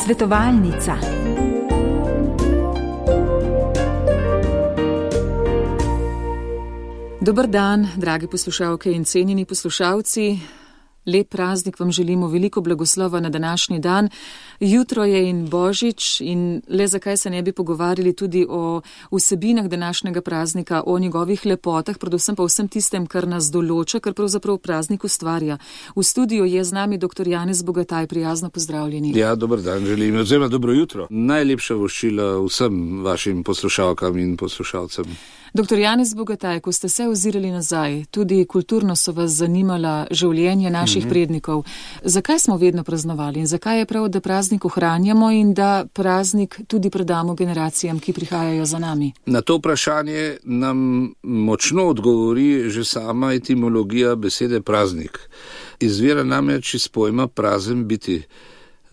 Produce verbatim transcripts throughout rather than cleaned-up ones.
Svetovalnica. Dober dan, dragi poslušalke in cenjeni poslušalci. Lep praznik vam želimo, veliko blagoslova na današnji dan. Jutro je in Božič in le zakaj se ne bi pogovarjali tudi o vsebinah današnjega praznika, o njegovih lepotah, predvsem pa vsem tistem, kar nas določa, kar pravzaprav praznik ustvarja. V studiu je z nami dr. Janez Bogataj, prijazno pozdravljeni. Ja, dober dan želim, oziroma dobro jutro. Najlepša voščila vsem vašim poslušalkam in poslušalcem. doktor Janez Bogataj, ko ste se ozirali nazaj, tudi kulturno so vas zanimala življenje naših mm-hmm. prednikov. Zakaj smo vedno praznovali in zakaj je prav, da praznik ohranjamo in da praznik tudi predamo generacijam, ki prihajajo za nami? Na to vprašanje nam močno odgovori že sama etimologija besede praznik. Izvira namreč iz pojma prazen biti,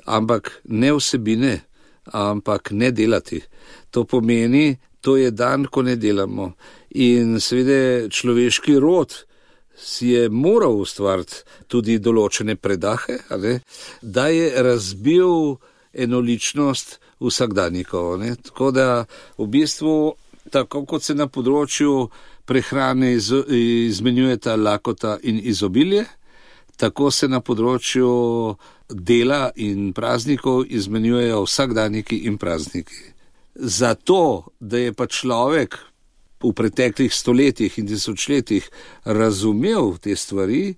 ampak ne vsebine, ampak ne delati. To pomeni, to je dan, ko ne delamo. In seveda človeški rod si je moral ustvariti tudi določene predahe, ali, da je razbil enoličnost vsakdanjikov. Ne. Tako da v bistvu, tako kot se na področju prehrane iz, izmenjujeta lakota in izobilje, tako se na področju dela in praznikov izmenjujejo vsakdanjiki in prazniki. Zato, da je pa človek v preteklih stoletjih in tisočletjih razumel te stvari,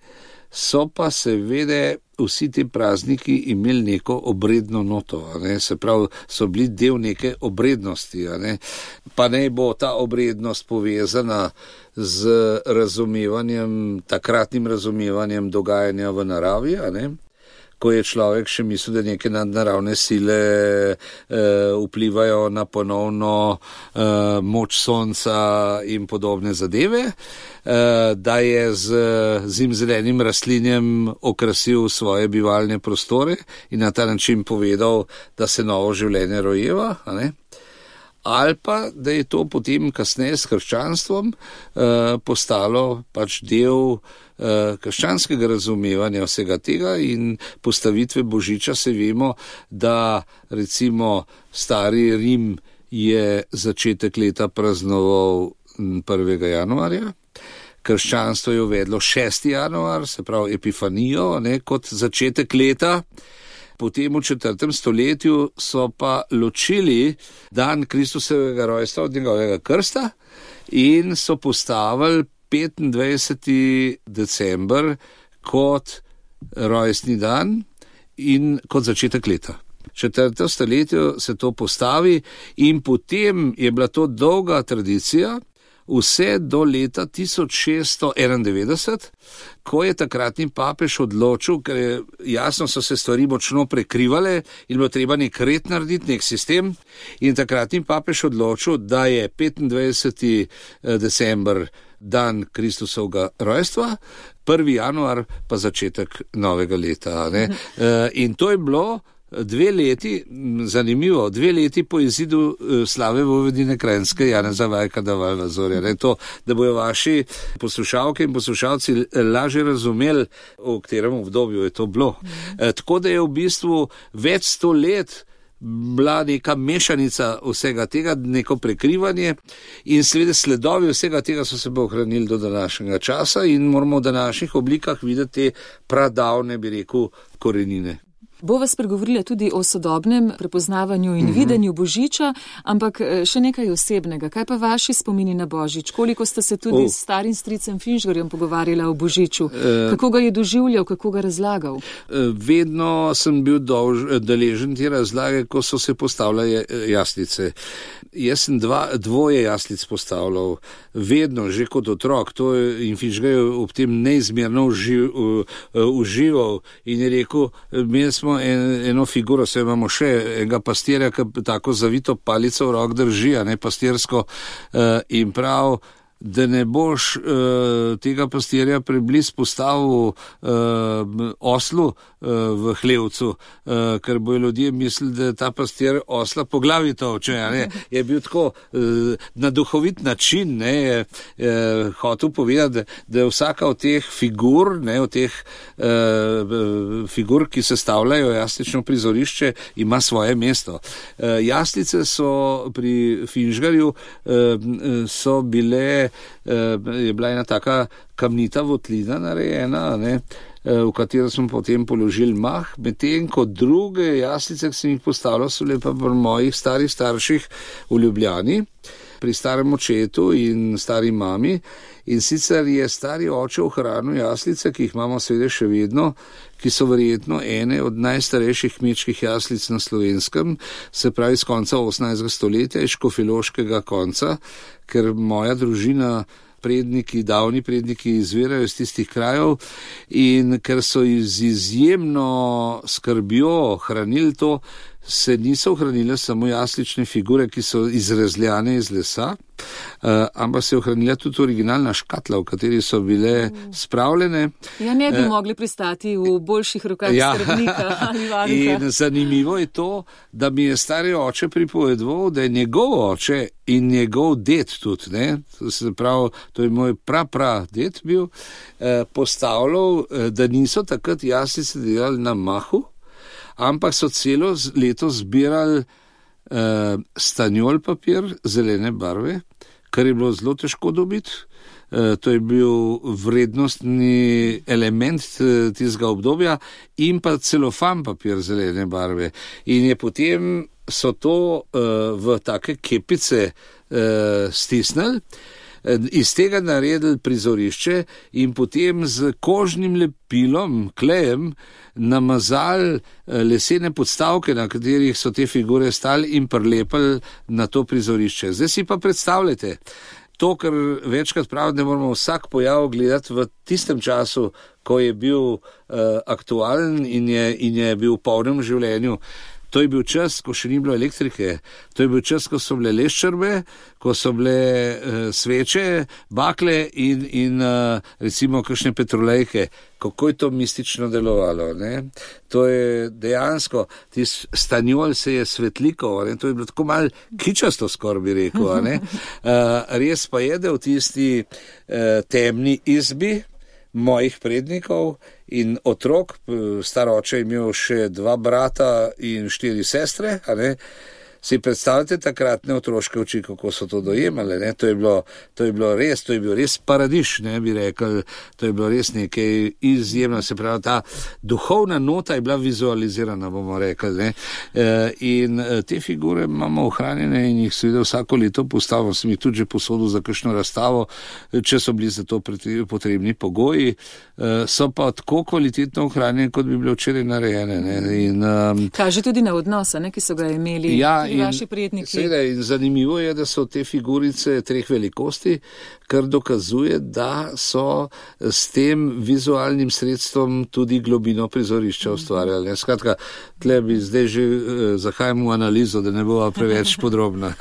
so pa seveda vsi ti prazniki imeli neko obredno noto, a ne? Se pravi, so bili del neke obrednosti, a ne? Pa naj bo ta obrednost povezana z razumevanjem, takratnim razumevanjem dogajanja v naravi, a ne? Ko je človek še mislil, da neke nadnaravne sile e, vplivajo na ponovno e, moč sonca in podobne zadeve, e, da je z zimzelenim rastlinjem okrasil svoje bivalne prostore in na ta način povedal, da se novo življenje rojeva, a ne? Ali pa, da je to potem kasneje s krščanstvom eh, postalo pač del eh, krščanskega razumevanja vsega tega in postavitve Božiča. Se vemo, da recimo stari Rim je začetek leta praznoval prvega januarja, krščanstvo je uvedlo šesti januar, se pravi Epifanijo, ne, kot začetek leta. Potem v četrtem stoletju so pa ločili dan Kristusovega rojstva od njegovega krsta in so postavili petindvajseti december kot rojstni dan in kot začetek leta. V četrtem stoletju se to postavi in potem je bila to dolga tradicija, vse do leta tisoč šeststo enaindevetdeset, ko je takratni papež odločil, ker je, jasno so se stvari močno prekrivale in bilo treba nek red narediti, nek sistem, in takratni papež odločil, da je petindvajseti december dan Kristusovega rojstva, prvi januar pa začetek novega leta. Ne? In to je bilo Dve leti, zanimivo, dve leti po izidu slave vojvodine Kranjske Janeza Vajka Davalna Zorja. Ne, to, da bojo vaši poslušalke in poslušalci lažje razumeli, v katerem obdobju je to bilo. E, tako da je v bistvu več sto let bila neka mešanica vsega tega, neko prekrivanje in seveda sledovi vsega tega so se bo ohranili do današnjega časa in moramo v današnjih oblikah videti pradavne, bi rekel, korenine. Bova spregovorila tudi o sodobnem prepoznavanju in mm-hmm. videnju Božiča, ampak še nekaj osebnega. Kaj pa vaši spomini na Božič? Koliko ste se tudi oh. s starim stricem Finžgarjem pogovarjala o Božiču? Uh, kako ga je doživljal, kako ga razlagal? Uh, vedno sem bil dolž, deležen te razlage, ko so se postavljale jaslice. Jaz sem dva, dvoje jaslic postavljal, vedno, že kot otrok, to je in Finžgar je ob tem neizmerno uživ, uh, užival in je rekel, imeli smo En, eno figuro, se imamo še enega pastirja, ki tako zavito palico v rok drži, a ne pastirsko, uh, in prav, da ne boš uh, tega pastirja prebliz postavil uh, oslu uh, v hlevcu, uh, ker bojo ljudje mislili, da ta pastir osla po glavi toče. Je bil tako uh, na duhovit način, ne, je uh, hotel povedati, da, da je vsaka od teh figur, ne, od teh uh, figur, ki sestavljajo jaslično prizorišče, ima svoje mesto. Uh, jaslice so pri Finžgarju uh, so bile je bila ena taka kamnita votlina narejena, ne, v katero smo potem položili mah, medtem kot druge jaslice, ki sem jih postavljal, so lepa pri mojih starih starših v Ljubljani, pri starem očetu in stari mami. In sicer je stari oče ohranil jaslice, ki jih imamo seveda še vedno, ki so verjetno ene od najstarejših kmečkih jaslic na Slovenskem, se pravi z konca osemnajstega stoletja, iz škofjeloškega konca, ker moja družina, predniki, davni predniki izvirajo iz tistih krajev in ker so iz izjemno skrbjo hranili to, se niso ohranile samo jaslične figure, ki so izrezljane iz lesa, uh, ampak se je ohranila tudi originalna škatla, v kateri so bile spravljene. Ja, ne bi uh, mogli pristati v boljših rokah ja, skrbnika ali varuha. In zanimivo je to, da mi je stari oče pripovedoval, da je njegov oče in njegov ded tudi, ne, se pravi, to je moj pra pra ded bil, uh, postavljal, uh, da niso takrat jaslice delali na mahu, ampak so celo leto zbirali uh, stanjol papir zelene barve, kar je bilo zelo težko dobiti. Uh, to je bil vrednostni element uh, tistega obdobja in pa celofan papir zelene barve. In je potem so to uh, v take kepice uh, stisnili, iz tega naredili prizorišče in potem z kožnim lepilom, klejem, namazali lesene podstavke, na katerih so te figure stali in prilepili na to prizorišče. Zdaj si pa predstavljate, to, kar večkrat pravim, da moramo vsak pojav gledati v tistem času, ko je bil uh, aktualen in je, in je bil v polnem življenju. To je bil čas, ko še ni bilo elektrike, to je bil čas, ko so bile leščrbe, ko so bile uh, sveče, bakle in, in uh, recimo kakšne petrolejke. Kako je to mistično delovalo, ne? To je dejansko, tis stanjol se je svetlikal, ne? To je bilo tako malo kičasto, skoraj bi rekel, ne? Uh, res pa je, da v tisti uh, temni izbi mojih prednikov in otrok, star oče je imel še dva brata in štiri sestre, a ne, si predstavljate takratne otroške oči, kako so to dojemali, ne, to je bilo, to je bilo res, to je bil res paradiš, ne, bi rekel, to je bilo res nekaj izjemno, se pravi, ta duhovna nota je bila vizualizirana, bomo rekli, ne, in te figure imamo ohranjene in jih seveda vsako leto postavimo, sem jih tudi že posodil za kakšno razstavo, če so bili za to potrebni pogoji, so pa tako kvalitetno ohranjene, kot bi bile včeraj narejene, ne, in um, kaže tudi na odnose, ne, ki so ga imeli. Ja, In, seveda, in zanimivo je, da so te figurice treh velikosti, kar dokazuje, da so s tem vizualnim sredstvom tudi globino prizorišča ustvarjali. Skratka, tle bi zdaj že eh, zahajamo v analizo, da ne bova preveč podrobna.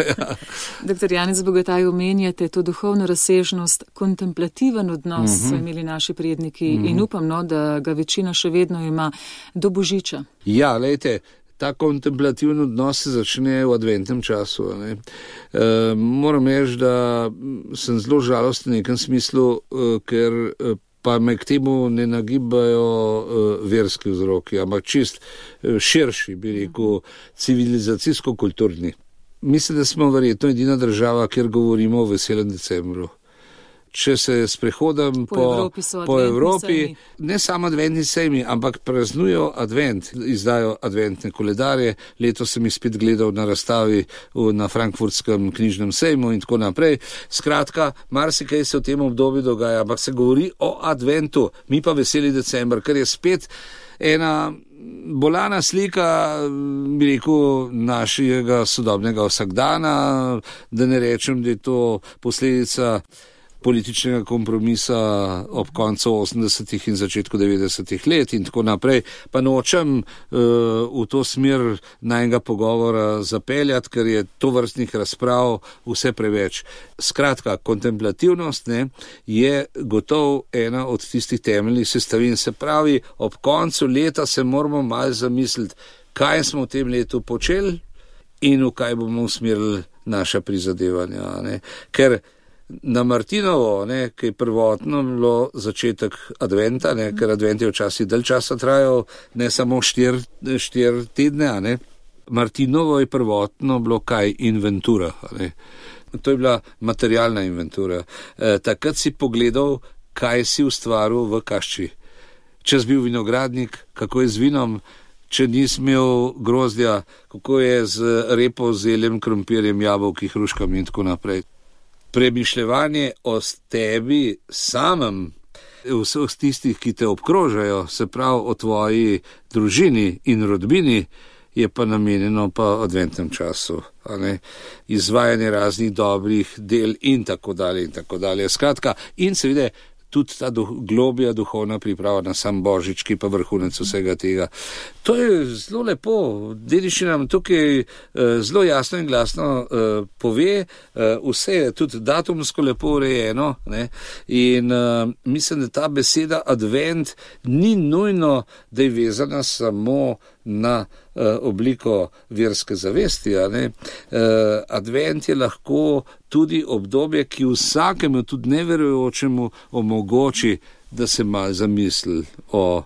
Doktor Janez Bogataj, omenjate to duhovno razsežnost, kontemplativen odnos uh-huh. so imeli naši predniki uh-huh. in upam, no, da ga večina še vedno ima do Božiča. Ja, lejte, ta kontemplativni odnos se začne v adventnem času. Ne. E, moram reči, da sem zelo žalosten v nekem smislu, e, ker e, pa me k temu ne nagibajo e, verski vzroki, ampak čist e, širši, bi rekel, civilizacijsko-kulturni. Mislim, da smo verjetno edina država, kjer govorimo o veselem decembru. Če se sprehodam po, po Evropi, po Evropi ne samo adventni sejmi, ampak praznujo advent, izdajo adventne koledarje. Letos sem jih spet gledal na razstavi na Frankfurtskem knjižnem sejmu in tako naprej. Skratka, marsikaj se v tem obdobju dogaja, ampak se govori o adventu, mi pa veseli december, ker je spet ena bolana slika, bi rekel, našega sodobnega vsakdana, da ne rečem, da je to posledica političnega kompromisa ob koncu osemdesetih in začetku devetdesetih let in tako naprej. Pa nočem uh, v to smer najnega pogovora zapeljati, ker je to vrstnih razprav vse preveč. Skratka, kontemplativnost ne, je gotov ena od tistih temeljnih sestavin. Se pravi, ob koncu leta se moramo malo zamisliti, kaj smo v tem letu počeli in v kaj bomo usmerili naša prizadevanja. Ne. Ker na Martinovo, ne, ki je prvotno bilo začetek adventa, ne, ker advent je včasih dalj časa trajal, ne samo štir, štir tedne, ne. Martinovo je prvotno bilo kaj inventura. Ne. To je bila materialna inventura. E, takrat si pogledal, kaj si ustvaril v kašči. Če si bil vinogradnik, kako je z vinom, če nisi imel grozdja, kako je z repo, zeljem, krompirjem, jabolki, hruškami in tako naprej. Premišljevanje o tebi samem, vseh tistih, ki te obkrožajo, se pravi o tvoji družini in rodbini, je pa namenjeno pa adventnem času. A ne? Izvajanje raznih dobrih del in tako dalje in tako dalje. Skratka, in seveda tudi ta duh, globja duhovna priprava na sam Božič, ki pa vrhunec vsega tega. To je zelo lepo. Dediščina nam tukaj eh, zelo jasno in glasno eh, pove, eh, vse je tudi datumsko lepo urejeno, ne? In eh, mislim, da ta beseda advent ni nujno, da je vezana samo na uh, obliko verske zavesti. A ne? Uh, advent je lahko tudi obdobje, ki vsakemu, tudi neverujočemu, omogoči, da se malo zamisli o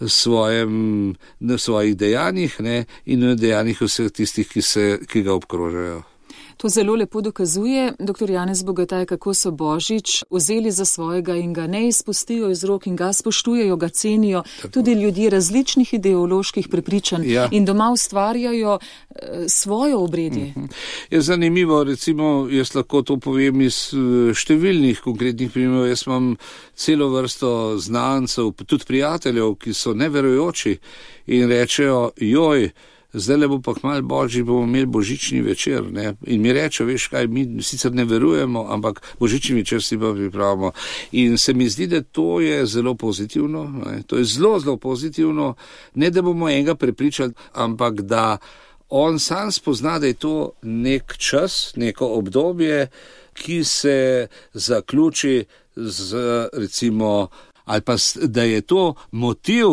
svojem, na svojih dejanjih, ne? In o dejanjih vseh tistih, ki, se, ki ga obkrožajo. To zelo lepo dokazuje doktor Janez Bogataj, kako so Božič vzeli za svojega in ga ne izpustijo iz rok in ga spoštujejo, ga cenijo. Tako. Tudi ljudje različnih ideoloških prepričanj ja. In doma ustvarjajo e, svojo obredje. Uh-huh. Je zanimivo, recimo, jaz lahko to povem iz številnih konkretnih primerov. Jaz imam celo vrsto znancev, tudi prijateljev, ki so neverujoči in rečejo, joj, zdaj le bo pa kmalu Božič, bomo imeli božični večer. Ne? In mi rečejo, veš kaj, mi sicer ne verujemo, ampak božični večer si pa pripravimo. In se mi zdi, da to je zelo pozitivno. Ne? To je zelo, zelo pozitivno. Ne, da bomo enega prepričali, ampak da on sam spozna, da je to nek čas, neko obdobje, ki se zaključi z, recimo, ali pa da je to motiv,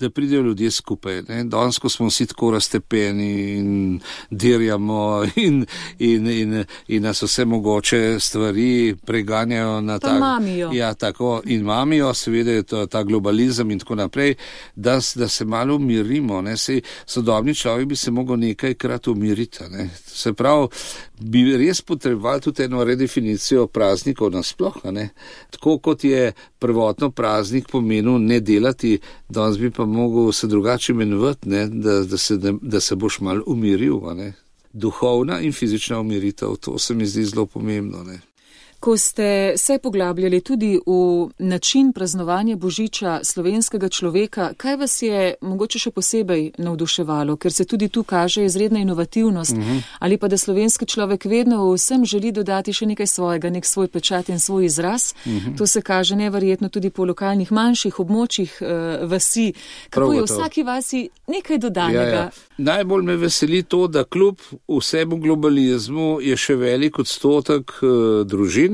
da pridejo ljudje skupaj. Ne? Danes, ko smo vsi tako raztepeni in dirjamo in, in, in, in nas vse mogoče stvari preganjajo na tak... mamijo. Ja, tako, in mamijo, seveda je to ta globalizem in tako naprej, da, da se malo umirimo. Ne? Sej, sodobni človek bi se mogel nekajkrat umiriti. Ne? Se pravi, bi res potrebovali tudi eno redefinicijo praznikov nasploh. Ne? Tako kot je prvotno praznik pomenil ne delati, danes bi pa mogel se drugače imenovati, ne, da, da, se, da, da se boš malo umiril. Ne. Duhovna in fizična umiritev, to se mi zdi zelo pomembno. Ne. Ko ste se poglabljali tudi v način praznovanja Božiča slovenskega človeka, kaj vas je mogoče še posebej navduševalo, ker se tudi tu kaže izredna inovativnost, uh-huh. ali pa da slovenski človek vedno vsem želi dodati še nekaj svojega, nek svoj pečat in svoj izraz. Uh-huh. To se kaže neverjetno tudi po lokalnih manjših območjih uh, vasi. Kako je v vsaki vasi nekaj dodanega? Ja, ja. Najbolj me veseli to, da kljub vsemu globalizmu je še velik odstotek uh, družin,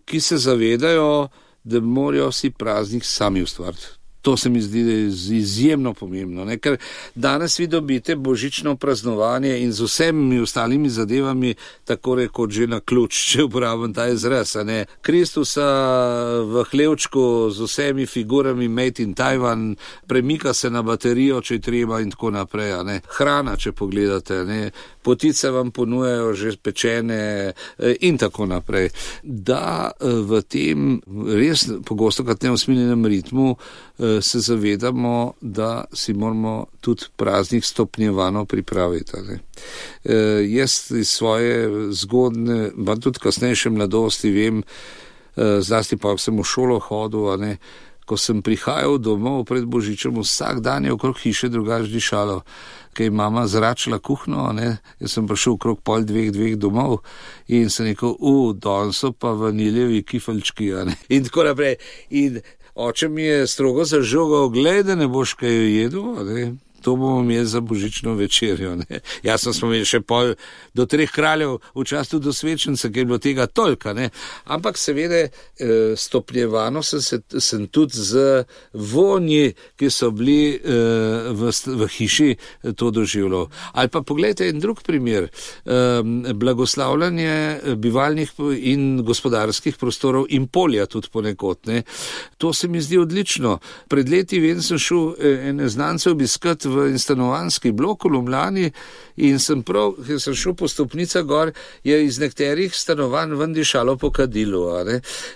ki se zavedajo, da morajo si praznik sami ustvariti. To se mi zdi izjemno pomembno, ne? Ker danes vi dobite božično praznovanje in z vsemi ostalimi zadevami tako rekoč že na ključ, če uporabim ta izraz. Ne? Kristusa v hlevčku z vsemi figurami Made in Taiwan, premika se na baterijo, če je treba in tako naprej. Ne? Hrana, če pogledate, ne? Potice vam ponujajo že pečene in tako naprej. Da v tem res pogosto kot neusmiljenem ritmu se zavedamo, da si moramo tudi praznik stopnjevano pripraviti. Ne. E, jaz iz svoje zgodne, pa tudi kasnejše mladosti vem, e, zlasti pa, ko sem v šolo hodil, ne, ko sem prihajal domov pred Božičem, vsak dan je okrog hiše drugače dišalo, ker je mama zračila kuhno, ne, jaz sem prišel okrog pol dveh, dveh domov in sem rekel, u, danes so pa vaniljevi kifelčki, ne, in tako naprej. In oče mi je strogo zažogal, glej, da ne boš kaj jedel, ne. To bomo imeli za božično večerjo. Ne? Jasno smo imeli še pol do treh kraljev v času do svečenca, ker je bilo tega tolka. Ne? Ampak seveda stopnjevano sem, se, sem tudi z vonji, ki so bili v, v hiši, to doživljal. Ali pa pogledajte en drug primer. Blagoslavljanje bivalnih in gospodarskih prostorov in polja tudi ponekod. Ne? To se mi zdi odlično. Pred leti vem, sem šel ene znance obiskati v stanovanjski blok v Ljubljani in sem prav, ker sem šel po stopnicah gor, je iz nekaterih stanovanj ven dišalo po kadilu.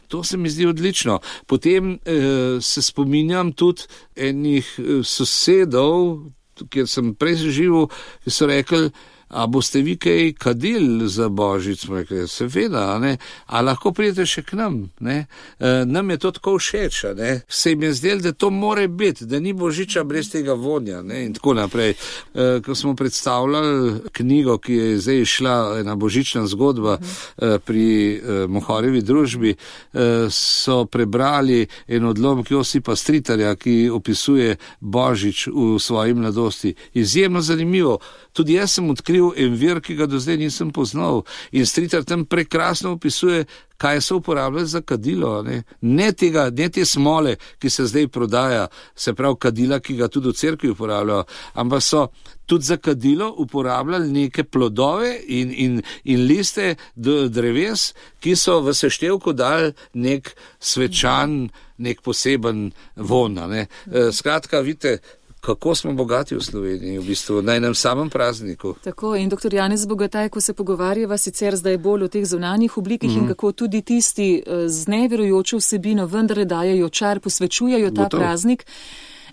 To se mi zdi odlično. Potem eh, se spominjam tudi enih sosedov, kjer sem prej živel, ki so rekli, a boste vi kaj kadili za Božič, smo rekli, seveda, ne, a lahko pridete še k nam, ne, e, nam je to tako všeč, ne, se jim je zdelo, da to more biti, da ni Božiča brez tega vonja, ne, in tako naprej. E, ko smo predstavljali knjigo, ki je zdaj šla, ena božična zgodba e, pri e, Mohorjevi družbi, e, so prebrali en odlomek Josipa Stritarja, ki opisuje Božič v svoji mladosti. Izjemno zanimivo. Tudi jaz sem odkril en vir, ki ga do zdaj nisem poznal, in Stritar tam prekrasno opisuje, kaj so uporabljali za kadilo. Ne, ne, tega, ne te smole, ki se zdaj prodaja, se pravi kadila, ki ga tudi v cerkvi uporabljajo, ampak so tudi za kadilo uporabljali neke plodove in, in, in liste dreves, ki so v seštevku dali nek svečan, nek poseben von. Ne. Skratka, vidite, kako smo bogati v Sloveniji, v bistvu, na enem samem prazniku. Tako, in doktor Janez Bogataj, ko se pogovarjava sicer zdaj bolj o teh zunanjih oblikih mm. in kako tudi tisti z neverujočo vsebino vendar dajejo čar, posvečujejo ta Gotovo. Praznik,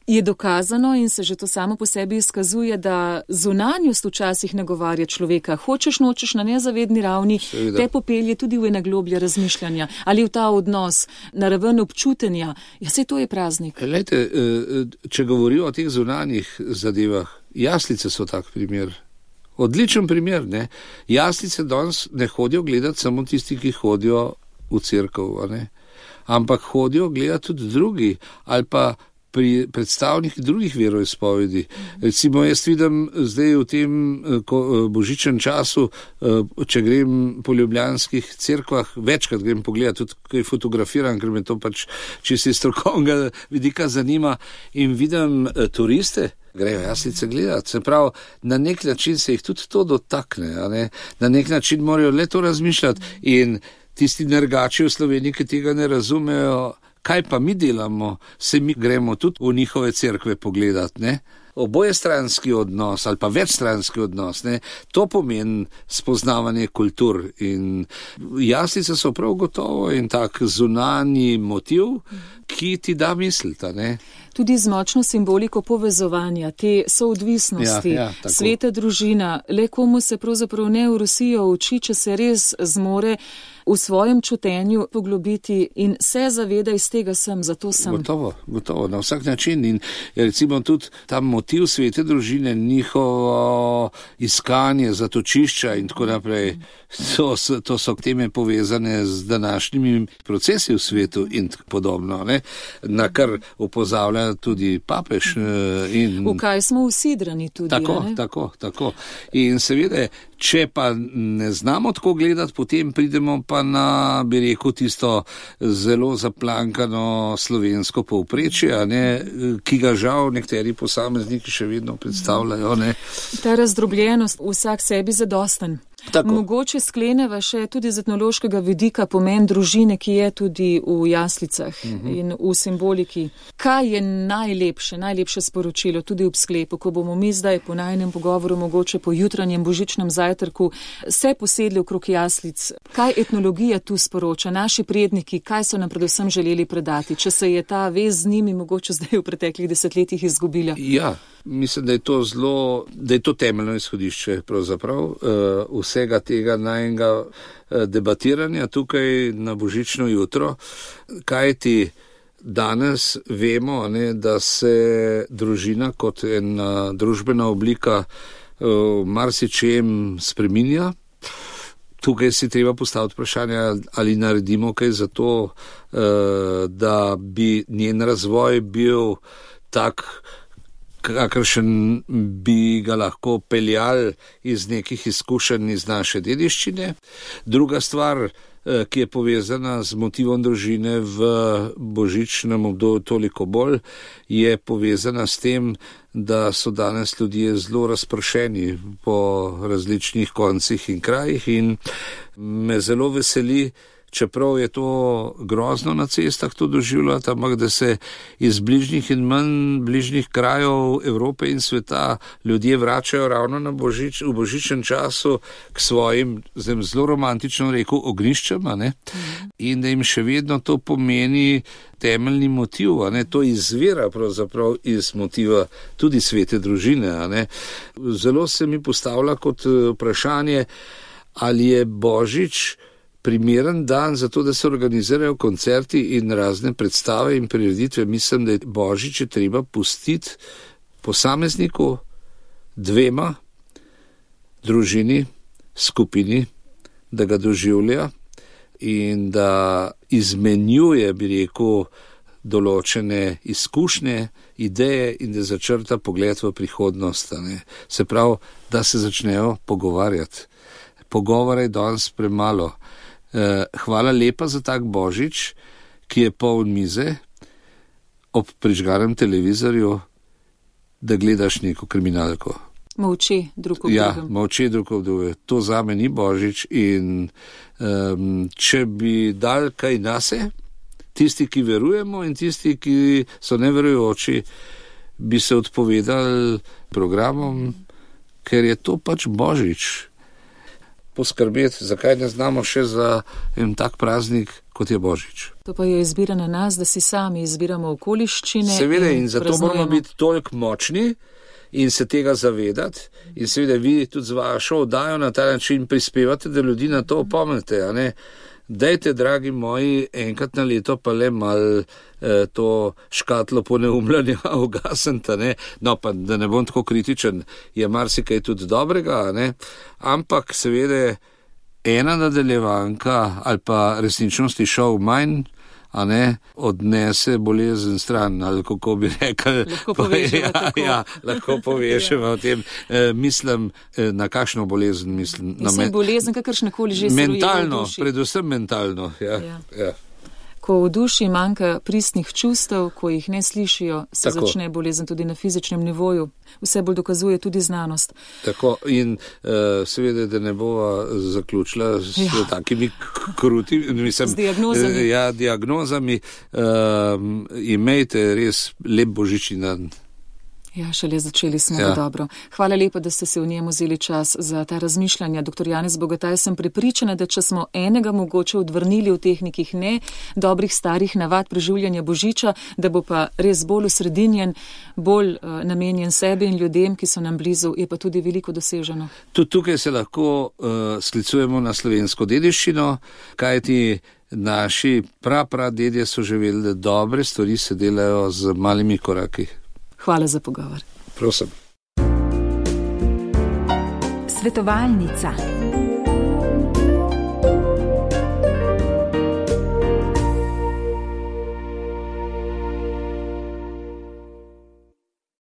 je dokazano in se že to samo po sebi izkazuje, da zunanjost včasih nagovarja človeka. Hočeš, nočeš na nezavedni ravni, Seveda. Te popelje tudi v ena globlja razmišljanja ali v ta odnos, na raven občutenja. Ja, saj to je praznik. Lejte, če govorijo o teh zunanjih zadevah, jaslice so tak primer. Odličen primer, ne. Jaslice danes ne hodijo gledati samo tisti, ki hodijo v cerkev, ne. Ampak hodijo gledati tudi drugi, ali pa pri predstavnikih drugih veroizpovedi. Recimo, jaz vidim zdaj v tem božičnem času, če grem po ljubljanskih cerkvah, večkrat grem pogledati, tudi kaj fotografiram, ker me to pač čisto strokovnega vidika zanima, in vidim turiste, grejo jaslice gledati. Se pravi, na nek način se jih tudi to dotakne, a ne? Na nek način morajo le to razmišljati, in tisti nergači v Sloveniji, ki tega ne razumejo, kaj pa mi delamo, se mi gremo tudi v njihove cerkve pogledati, ne? Obojestranski odnos ali pa večstranski odnos, ne? To pomeni spoznavanje kultur, in jaslice so prav gotovo in tak zunanji motiv, ki ti da misliti, ne? Tudi z močno simboliko povezovanja, te soodvisnosti, ja, ja, sveta družina, le komu se pravzaprav ne urusijo oči, če se res zmore v svojem čutenju poglobiti in se zaveda, iz tega sem, zato sem. Gotovo, gotovo, na vsak način. In recimo tudi ta motiv svete družine, njihovo iskanje zatočišča in tako naprej, to so, to so teme povezane z današnjimi procesi v svetu in podobno, ne? Na kar opozavlja tudi papež. In v kaj smo usidrani tudi. Tako, ne? tako, tako. In seveda, če pa ne znamo tako gledati, potem pridemo pa na, bi rekel, tisto zelo zaplankano slovensko povprečje, ne, ki ga žal nekateri posamezniki še vedno predstavljajo. Ne. Ta razdrobljenost, vsak sebi zadosten. Tako. Mogoče skleneva še tudi z etnološkega vidika pomen družine, ki je tudi v jaslicah uh-huh. in v simboliki. Kaj je najlepše, najlepše sporočilo tudi ob sklepu, ko bomo mi zdaj po najnem pogovoru, mogoče po jutranjem božičnem zajtrku, se posedli okrog jaslic? Kaj etnologija tu sporoča, naši predniki, kaj so nam predvsem želeli predati, če se je ta vez z njimi mogoče zdaj v preteklih desetletjih izgubila? Ja, mislim, da je to zelo, da je to temeljno izhodišče pravzaprav uh, vsega tega najnega uh, debatiranja tukaj na božično jutro, kaj ti danes vemo, ne, da se družina kot ena družbena oblika v marsičem spreminja. Tukaj si treba postaviti vprašanje, ali naredimo kaj za to, da bi njen razvoj bil tak, kakršen bi ga lahko peljali iz nekih izkušenj iz naše dediščine. Druga stvar, ki je povezana z motivom družine v božičnem obdobju toliko bolj, je povezana s tem, da so danes ljudje zelo razpršeni po različnih koncih in krajih in me zelo veseli, čeprav je to grozno na cestah to doživljati, ampak da se iz bližnjih in manj bližnjih krajev Evrope in sveta ljudje vračajo ravno na božič, v božičnem času k svojim, zdaj zelo romantično rekel, ogniščem, a ne? In da jim še vedno to pomeni temeljni motiv, a ne? To izvira pravzaprav iz motiva tudi svete družine, a ne? Zelo se mi postavlja kot vprašanje, ali je božič primeren dan za to, da se organizirajo koncerti in razne predstave in prireditve. Mislim, da je božič je treba pustiti posamezniku, dvema, družini, skupini, da ga doživlja in da izmenjuje, bi rekel, določene izkušnje, ideje in da začrta pogled v prihodnost. Ne? Se pravi, da se začnejo pogovarjati. Pogovora je danes premalo. Hvala lepa za tak božič, ki je poln mize, ob prižganem televizorju, da gledaš neko kriminalko. Molče drug ob drugem. Ja, molče drug ob drugem. To zame ni božič in um, če bi dal kaj nase, tisti, ki verujemo in tisti, ki so neverujoči, bi se odpovedali programom, ker je to pač božič. Poskrbeti, zakaj ne znamo še za en tak praznik, kot je božič. To pa je izbira na nas, da si sami izbiramo okoliščine. Seveda in, in zato moramo biti toliko močni in se tega zavedati in seveda vi tudi z vašo oddajo na ta način prispevate, da ljudi na to opomnite, a ne? Dajte, dragi moji, enkrat na leto pa le mal eh, to škatlo poneumljanja ugasnite, ne? No, pa da ne bom tako kritičen, je marsikaj tudi dobrega, ne? Ampak seveda ena nadaljevanka ali pa resničnosti šov manj, a ne, odnese bolezen stran, ali kako bi rekel. Lahko povežemo ja, tako. Ja, lahko povežemo o tem. E, mislim, e, na kakšno bolezen mislim? Na Vse me... bolezen, kakršnekoli že se roje v duši. Mentalno, predvsem mentalno, ja. Ja. Ja. Ko v duši manjka pristnih čustev, ko jih ne slišijo, se Tako. Začne bolezen tudi na fizičnem nivoju. Vse bolj dokazuje tudi znanost. Tako in uh, seveda, da ne bova zaključila s Ja. takimi kruti, mislim, Z diagnozami. eh, Ja, diagnozami. Um, imejte res lep božični dan. Ja, šele začeli smo Ja. ja. dobro. Hvala lepa, da ste se v njem vzeli čas za ta razmišljanja. Doktor Janez Bogataj, sem prepričana, da če smo enega mogoče odvrnili v teh nekih ne dobrih starih navad preživljanja božiča, da bo pa res bolj usredinjen, bolj uh, namenjen sebi in ljudem, ki so nam blizu, je pa tudi veliko doseženo. Tudi tukaj se lahko uh, sklicujemo na slovensko dediščino, kajti naši pra pra dedje so že vedeli, da dobre stvari se delajo z malimi koraki. Hvala za pogovor. Prosim. Svetovalnica.